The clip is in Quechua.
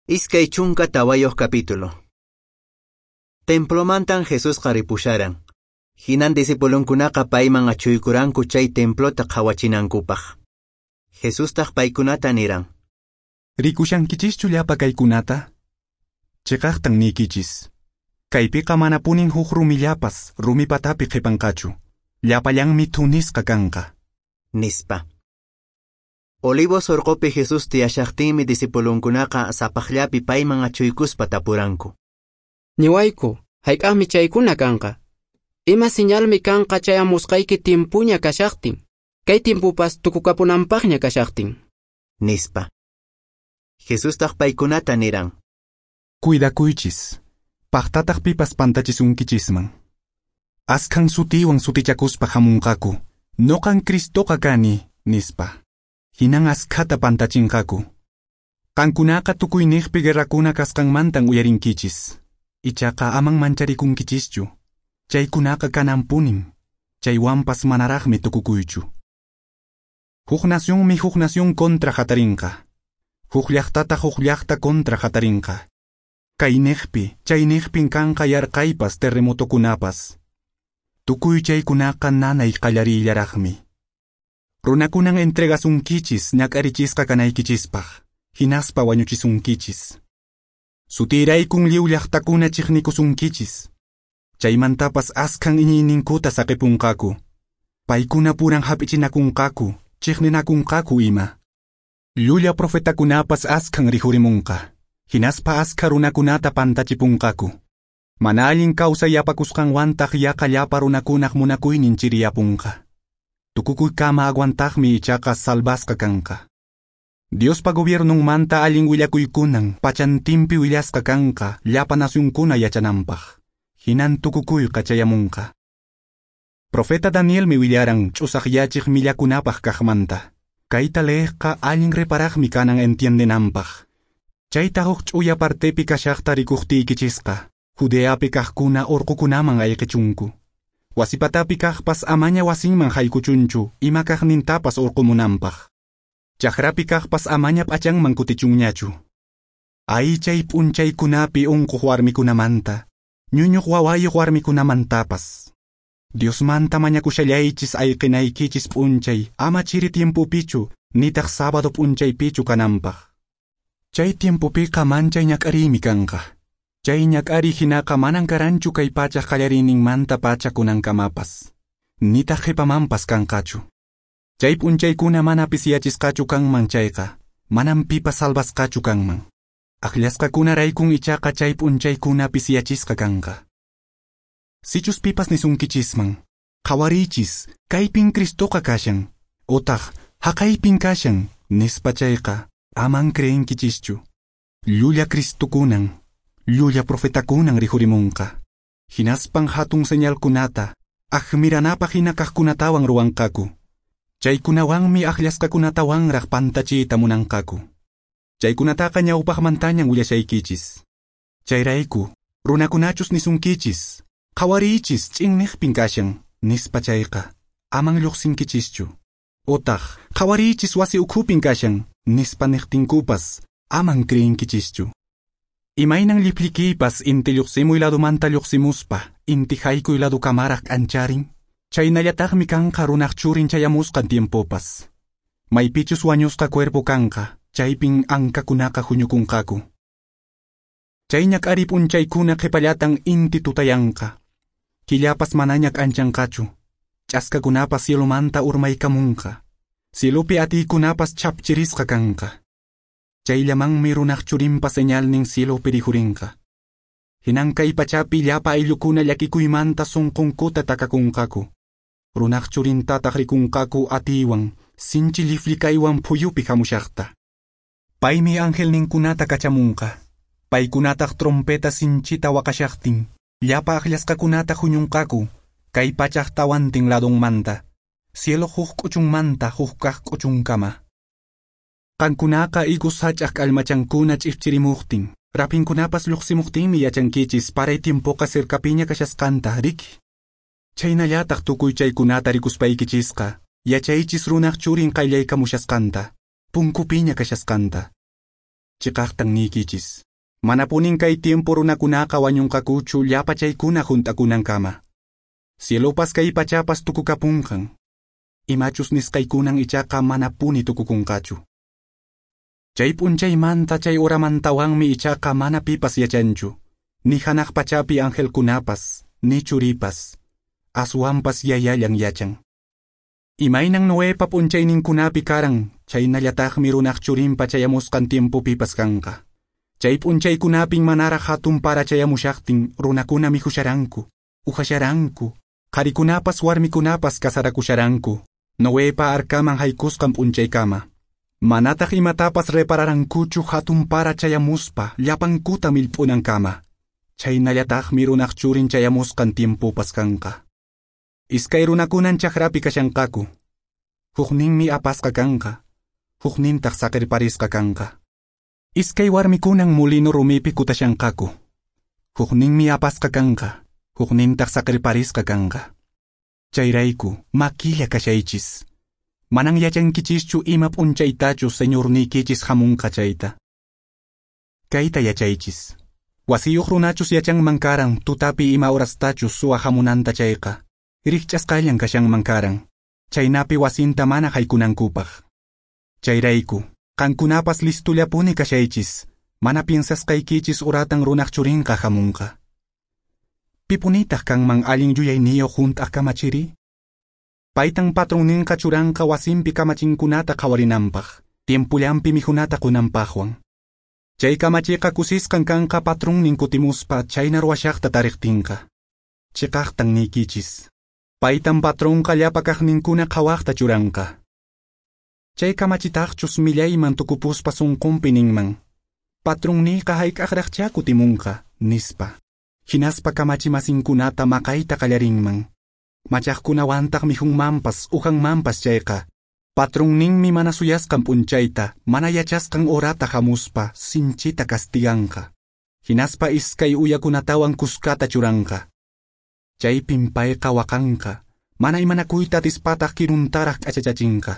24 capítulo. Templomantan Jesusqa ripusharan. Hinan discipulunkunaqa payman achuykuranku chay templota qhawachinankupaq. Jesustaq paykunata niran: Rikushankichischu llapa kaykunata? Chiqaqtan niykichis. Kaypiqa manapunin huk rumillapas rumi patapi qhipanqachu. Llapallanmi thunisqa kanqa. Nispa. Olivos orqopi Jesús tiyashaqtinmi discipulunkunaqa sapaqllapi payman achuykuspa tapuranku: Niwayku, hayk'aqmi chaykuna kanqa? Ima señalmi kanqa chayamusqayki timpuña kashaqtin, kay timpupas tukukapunanpaqña kashaqtin? Nispa. Jesustaq paykunata niran: Cuidakuychis, paqtataq pipas pantachisunkichisman. Askhan sutiwan sutichakuspa hamunqaku, noqan Cristoqa kani, nispa. Hinan askhata pantachinqaku. Qankunaqa tukuyniqpi guerrakuna kasqanmantan uyarinkichis. Ichaqa aman mancharikunkichischu. Chaykunaqa kananpunin. Chaywanpas manaraqmi tukukuychu. Huk nacionmi huk nación contra hatarinqa. Huk llaqtata huk llaqta contra hatarinqa. Kayniqpi, chayniqpin kanqa yarqaypas terremotokunapas. Tukuy chaykunaqa nanay qallariyllaraqmi. Runakunan entregasunkichis ñak'arichisqa kanaykichispaq, hinaspa wañuchisunkichis. Sutiraykun lliw llaqtakuna chiqnikusunkichis. Chaymantapas askhan iñiyninkuta saqipunqaku. Paykuna puran hap'ichinakunqaku, chiqninakunqaku ima. Llulla profetakunapas askhan rihurimunqa, hinaspa askha runakunata pantachipunqaku. Mana allin kawsay yapakusqanwantaq yaqa llapa runakunaq munakuynin chiriyapunqa. Tukukuykama aguantaqmi ichaqa salvasqa kanqa. Diospa gobiernunmanta allin willakuykunan pachantinpi willasqa kanqa llapa nacionkuna yachananpaq. Hinan tukukuyqa chayamunqa. Profeta Danielmi willaran ch'usaqyachiq millakunapaq kaqmanta. Kayta leeqqa allin reparaqmi kanan entiendenanpaq. Chayta huk ch'uya partepi kashaqta rikuqtiykichisqa, Judeapi kaqkuna urqukunaman ayqichunku. Wasipatapi kaqpas amaña wasinman haykuchunchu ima kaqnintapas urqumunanpaq. Chakrapi kaqpas amaña p'achanman kutichunñachu. Ay chay p'unchaykunapi unquq warmikunamanta, ñuñuq wawayuq warmikunamantapas. Diosmanta mañakushallaychis ayqinaykichis p'unchay ama chiri tiempopichu nitaq sábado p'unchaypichu kananpaq. Chay tiempopiqa manchay ñak'ariymi kanqa. Chay ñak'ariy hinaqa manan karanchu kay pachaq qallariyninmanta pacha kunankamapas, nitaq qhipamanpas kanqachu. Chay p'unchaykuna mana pisiyachisqachu kanman chayqa, manan pipas salvasqachu kanman. Akllasqakunaraykun ichaqa chay p'unchaykuna pisiyachisqa kanqa. Sichus pipas nisunkichisman, qhawariychis, kaypin Cristoqa kashan, otaq haqaypin kashan, nispa chayqa, aman creenkichischu. Llulla Cristokunan, llulla profetakunan rihurimunqa. Hinaspan hatun señalkunata, admiranapaq hina kaqkunatawan ruwanqaku. Chaykunawanmi akllasqakunatawanraq pantachiyta munanqaku. Chaykunataqa ñawpaqmantañan willashaykichis. Chayrayku, runakunachus nisunkichis, qhawariychis ch'inniqpin kashan, nispa chayqa, aman lluqsinkichischu. Otaq, qhawariychis wasi ukhupin kashan, nispa niqtinkupas, aman creenkichischu. Imaynan lliplikiypas inti lluqsimuy ladumanta lluqsimuspa, inti haykuy ladukamaraq k'ancharin, chaynallataqmi kanqa runaq churin chayamusqan tiempopas. Maypichus wañusqa cuerpo kanqa, chaypin ankakunaqa huñukunqaku. Chay ñak'ariy p'unchaykuna qhipallatan inti tutayanqa. Killapas manaña k'anchanqachu. Ch'askakunapas cielomanta urmaykamunqa. Cielopi atiykunapas chapchirisqa kanqa. Chayllamanmi runaq churinpa señalnin cielopi rihurinqa. Hinan kay pachapi llapa ayllukuna llakikuymanta sunqunkuta takakunqaku. Runaq churintataq rikunqaku atiywan, sinchi lliflikaywan phuyupi hamushaqta. Paymi angelninkunata kachamunqa. Paykunataq trompeta sinchita waqashaqtin, llapa akllasqakunata huñunqaku, kay pachaq tawantin ladunmanta, cielo huk k'uchunmanta huk kaq k'uchunkama. Qankunaqa higos sach'aq k'allmachankuna ch'ipchirimuqtin, rapinkunapas lluqsimuqtinmi yachankichis paray tiempoqa cercapiña kashasqanta, riki? Chaynallataq tukuy chaykunata rikuspaykichisqa, yachaychis runaq churin qayllaykamushasqanta, punkupiña kashasqanta. Chiqaqtan niykichis. Manapunin kay tiempo runakunaqa wañunqakuchu llapa chaykuna hunt'akunankama. Cielopas kay pachapas tukukapunqan. Imachus nisqaykunan ichaqa manapuni tukukunqachu. Chay p'unchaymanta chay horamantawanmi ichaqa mana pipas yachanchu, ni hanaq pachapi angelkunapas, ni churipas, aswanpas Yayallan yachan. Imaynan Noepa p'unchayninkunapi karan, chaynallataqmi runaq churinpa chayamusqan tiempopipas kanqa. Chay p'unchaykunapin manaraq hatun para chayamushaqtin runakuna mikhusharanku, uhasharanku, qharikunapas warmikunapas kasarakusharanku, Noepa arkaman haykusqan p'unchaykama. Manataq imatapas repararankuchu hatun para chayamuspa llapankuta millp'unankama. Chaynallataqmi runaq churin chayamusqan tiempopas kanqa. Iskay runakunan chakrapi kashanqaku. Hukninmi apasqa kanqa, huknintaq saqirparisqa kanqa. Iskay warmikunan molino rumipi kutashanqaku. Hukninmi apasqa kanqa, huknintaq saqirparisqa kanqa. Chayrayku, makilla kashaychis. Manan yachankichischu ima p'unchaytachu Señorniykichis hamunqa chayta. Kayta yachaychis. Wasiyuq runachus yachanman karan tutapi ima horastachus suwa hamunanta chayqa. Rikch'asqallan kashanman karan. Chaynapi wasinta mana haykunankupaq. Chayrayku, qankunapas listullapuni kashaychis. Mana piensasqaykichis horatan runaq churinqa hamunqa. Pipunitaq kanman allin yuyayniyuq hunt'aq kamachiri? Paytan patronninqa churanqa wasinpi kamachinkunata qhawarinanpaq, tiempullanpi mikhunata qunanpaqwan. Chay kamachiqa kusisqan kanqa patronnin kutimuspa chayna ruwashaqta tariqtinqa. Chiqaqtan niykichis. Paytan patronqa llapa kaqninkuna qhawaqta churanqa. Chay kamachitaqchus millayman tukupuspa sunqunpi ninman. Patronniyqa hayk'aqraqchá kutimunqa, nispa. Hinaspa kamachimasinkunata maqayta qallarinman. Machaqkunawantaq mikhunmanpas uhanmanpas chayqa. Patronninmi mana suyasqan p'unchayta, mana yachasqan horata hamuspa sinchita castiganqa. Hinaspa iskay uyakunatawan kuskata churanqa. Chaypin payqa waqanqa, mana imanakuyta atispataq kiruntaraq k'achachachinqa.